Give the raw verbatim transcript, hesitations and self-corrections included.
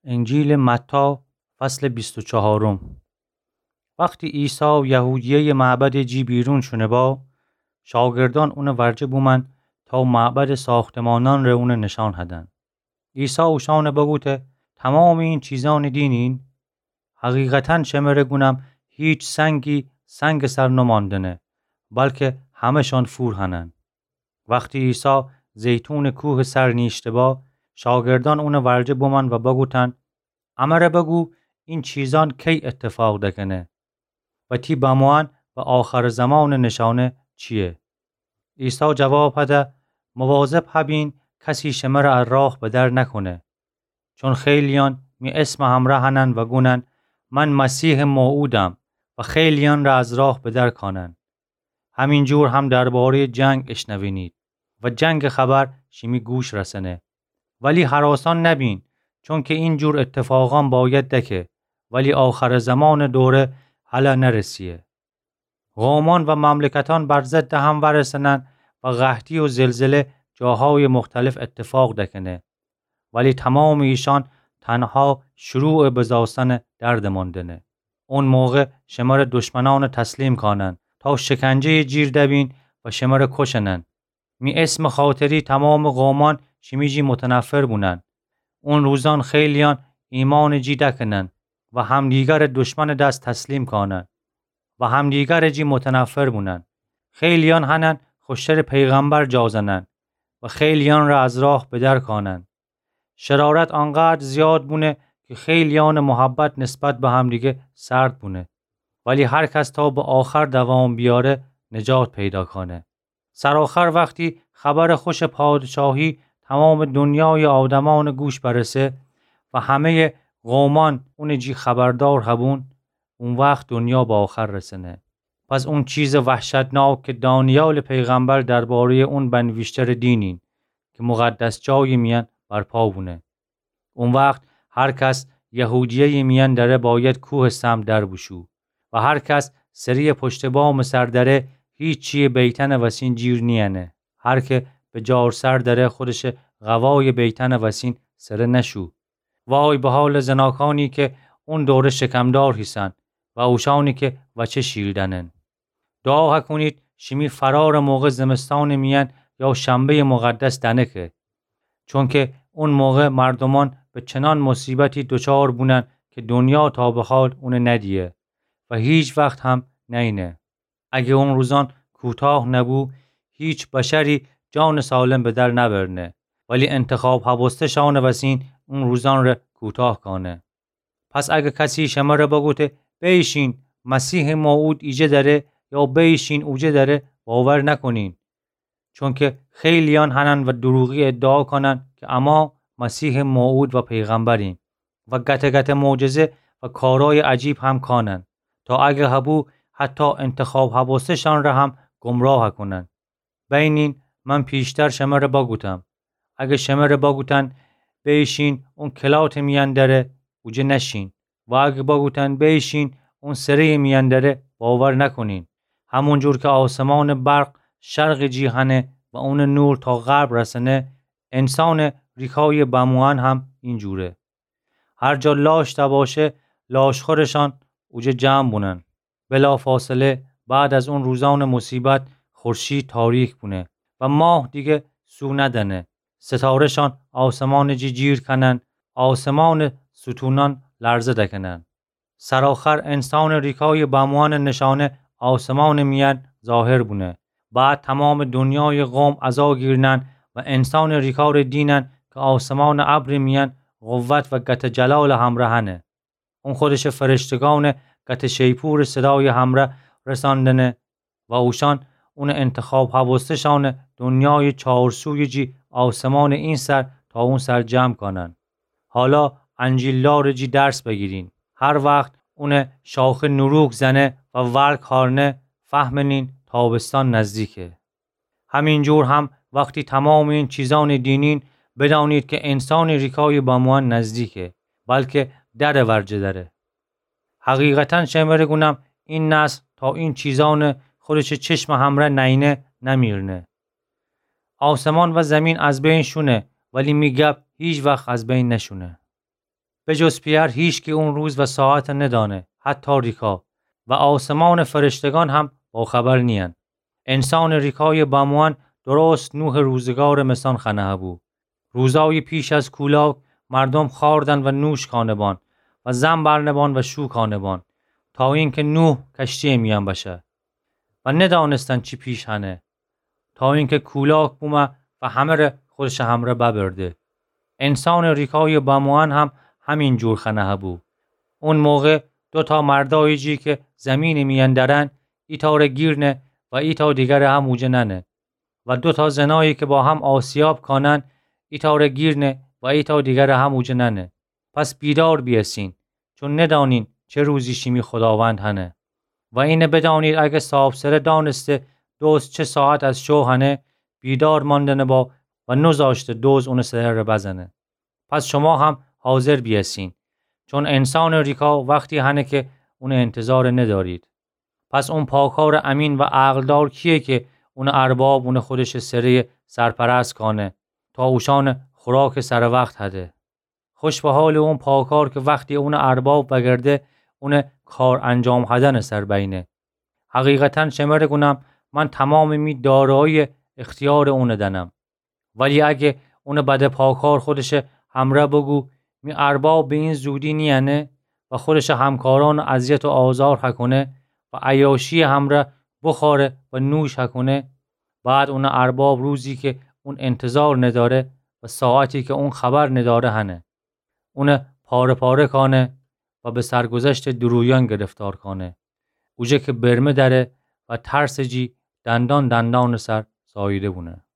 انجیلٚ متی، فصلٚ بیست و چهارم. وختی عیسی یهودیه‌یٚ معبدٚ جی بیرون شونه با، شاگردأن اونٚ ورجه بومأن تا معبدٚ ساختمانأنٚ ره اونٚ نشأن هدن. عیسی اوشأنٚ بوگوته: تمامٚ این چیزأنٚ دینین؟ حقیقتاً شمره گونم، هیچ سنگی سنگٚ سر نمأندنه، بلکه همه‌شأن فور هنن. وختی عیسی زیتونٚ کوهٚ سر نیشته با، شاگردأن اونٚ ورجه بومأن و بوگوتن: امره بوگو، این چیزأن کی اتفاق دکنه؟ و تی بموئن و آخرٚ زمانٚ نشأنه چییه؟ عیسی جواب هده: مواظب هبین کسی شمره ا راه بدر نکونه. چون خیلیأن می اسمٚ همرأ هنن و گونن: من مسیحٚ موعودم، و خیلیأنٚ ره از راه بدر کانن. همینجور هم درباره‌یٚ جنگ اشنوینید و جنگٚ خبر شیمی گوش رسنه. ولی هراسان نبین، چونکه اینجور اتفاقأن باید دکه، ولی آخرٚ زمانٚ دوره هلأ نرسیه. قومأن و مملکتأن بر ضدٚ هم ورسنن و قحطی و زلزله جاهایٚ مختلف اتفاق دکنه. ولی تمامٚ ایشأن تنها شروعٚ بزاستنٚ درد ماندنه. اون موقع شمره دشمنأن تسلیم کانن تا شکنجه‌یٚ جیر دبین و شمره کشنن. می اسمٚ خاطری تمامٚ قومأن شیمی جی متنفر بونن. اون روزأن خیلیأن ایمانٚ جی دکنن و همدیگرٚ دشمنٚ دس تسلیم کانن و همدیگرٚ جی متنفر بونن. خیلیأن هنن خوشترٚ پیغمبر جا زنن و خیلیأن ره از راه بدر کانن. شرارت آنقدر زیاد بونه که خیلیأنٚ محبت نسبت به همدیگه سرد بونه. ولی هر کس تا به آخر دوام بیاره، نجات پیدا کانه. سرآخر وختی خبرٚ خوشٚ پادشاهی تمامٚ دنیایٚ آدمأنٚ گوش برسه و همه‌یٚ قومأن اونٚ جی خبردار هبون، او وخت دنیا به آخر رسنه. پس اون چیزٚ وحشتناک که دانیالٚ پیغمبر درباره‌یٚ اون بنویشته‌ره دینین که مقدس جایٚ میأن برپا بونه. او وخت هر کس یهودیه‌یٚ میأن دره باید کوهٚ سمت در بوشو و هر کس سره‌یٚ پشتٚ بامٚ سر دره هیچییٚ بیتنٚ وسین جیر نیأنه. هر که به جارسر دره خودشٚ قوایٚ بیتنٚ وسین سره نشو. وای به حالٚ زناکانی که اون دوره شکمدار هیسن و اوشانی که وچه شیر دأنن. دعا هکونید شیمی فرارٚ موقع زمستانٚ میأن یا شنبه‌یٚ مقدس دنکه. چونکه اون موقع مردومأن به چنان مصیبتی دچار بونن که دنیا تا به حال اونه ندیه و هیچ وخت هم نئینه. اگه اون روزأن کوتاه نبو، هیچ بشری جانٚ سالم به در نبرنه، ولی انتخاب هبسته‌شانٚ وسین اون روزأن ره کوتاه کانه. پس اگه کسی شمره بگوته: بیشین، مسیحٚ موعود ایجه دره، یا بیشین اوجه دره، باور نکنین. چونکه خیلیأن هنن و دروغی ادعا کانن که اما مسیحٚ موعود و پیغمبرین و گته گته معجزه و کارای عجیب هم کانن، تا اگه هبو حتی انتخاب هبسته‌شان ره هم گمراه کونن. بینین، من پیشتر شمره بگوتم، اگه شمره بگوتن: بیشین، اون کلاتٚ میأن دره، اوجه نشین. و اگه بگوتن: بیشین، اون سره‌یٚ میأن دره، باور نکنین. همونجور که آسمانٚ برق شرقٚ جی هنه و اونٚ نور تا غرب رسنه، انسانٚ ریکایٚ بموئن هم اینجوره. هر جا لاش دباشه، لاشخورشان اوجه جمع بونن. بلافاصله بعد از اون روزأنٚ مصیبت خورشید تاریک بونه و ماه دیگه سو ندنه. ستاره‌شان آسمانٚ جی جیر کنن، آسمانٚ ستونأن لرزه دکنن. سرآخر انسانٚ ریکایٚ بموئنٚ نشانه آسمانٚ میأن ظاهر بونه. بعد تمامٚ دنیایٚ قوم عزا گیرنن و انسانٚ ریکا ره دینن که آسمانٚ ابرٚ میأن قوت و گته جلالٚ همره هنه. اون خودشٚ فرشتگانٚ گته شیپورٚ صدایٚ همره رساندنه و اوشأن اونٚ انتخاب هبسته‌شانٚ دنیایٚ چارسویٚ جی آسمانٚ این سر تا اون سر جمع کانن. حالا انجیلدارٚ جی درس بگیرین. هر وخت اونٚ شاخه نوروک زنه و ورگ هارنه، فهمنین تابستان نزدیکه. همینجور هم وختی تمامٚ این چیزأنٚ دینین، بدانید که انسانٚ ریکایٚ بموئن نزدیکه، بلکه درٚ ورجه دره. حقیقتاً شمره گونم، این نسل تا این چیزأنٚ خودشٚ چشمٚ همره نئینه، نمیرنه. آسمان و زمین از بین شونه، ولی می گب هیچ وخت از بین نشونه. به جز پئر هیچکی اون روز و ساعت ندانه، حتی ریکا، و آسمانٚ فرشتگان هم باخبر نیین. انسانٚ ریکایٚ بموئن درست نوحٚ روزگارٚ مسان خنه‌بو. روزایی پیش از کولاک مردوم خوأردن و نوش کانه‌بان و زن برنه‌بان و شو کانه‌بان، تا اینکه نوح کشتی‌یٚ میأن بشه. و ندانستن چی پیش هنه، تا اینکه کولاک بومه و همه‌ره خودشٚ همره ببرده. انسانٚ ریکایٚ بموئن هم همین جور خنه‌بو. اون موقع دوتا مردایی جی که زیمینٚ میأن درن، ایتأره گیر نه و ایتأ دیگره هم اوجه ننه. و دوتا زنایی که با هم آسیاب کانن، ایتأره گیر نه و ایتأ دیگره هم اوجه ننه. پس بیدار بیأسین، چون ندانین چه روزی شیمی خوداوند هنه. و اینه بدانید، اگه صاحبسره دانسته دزد چه ساعت از شو هنه، بیدار ماندنه با و نوذاشته دزد اونٚ سره‌ره بزنه. پس شوما هم حاضر بیأسین، چون انسانٚ ریکا وختی هنه که اونٚ انتظار ندارید. پس اون پاکارٚ امین و عقلدار کییه که اونٚ ارباب اونٚ خودشٚ سره‌یٚ سرپرست کانه تا اوشأنٚ خوراکٚ سروقت هده؟ خوش به حالٚ اون پاکار که وختی اونٚ ارباب وگرده، اونٚ کار انجام هدنٚ سر بینه. حقیقتاً شمره گونم، من تومامٚ می دارایی اختیارٚ اون دنم. ولی اگه اونٚ بده پاکار خودشٚ همره بگو، می ارباب به این زودی نیأنه و خودشٚ همکارأن اذیت و آزار هکونه و عیاشییٚ همره بخوأره و نوش هکونه، بعد اونٚ ارباب روزی که اون انتظار نداره و ساعتی که اون خبر نداره هنه. اون پاره پاره کانه و به سرگذشتٚ دوروییأن گرفتار کانه. اوجه که برمه دأره و ترسٚ جی دندان دندانٚ سر زاییده بونه.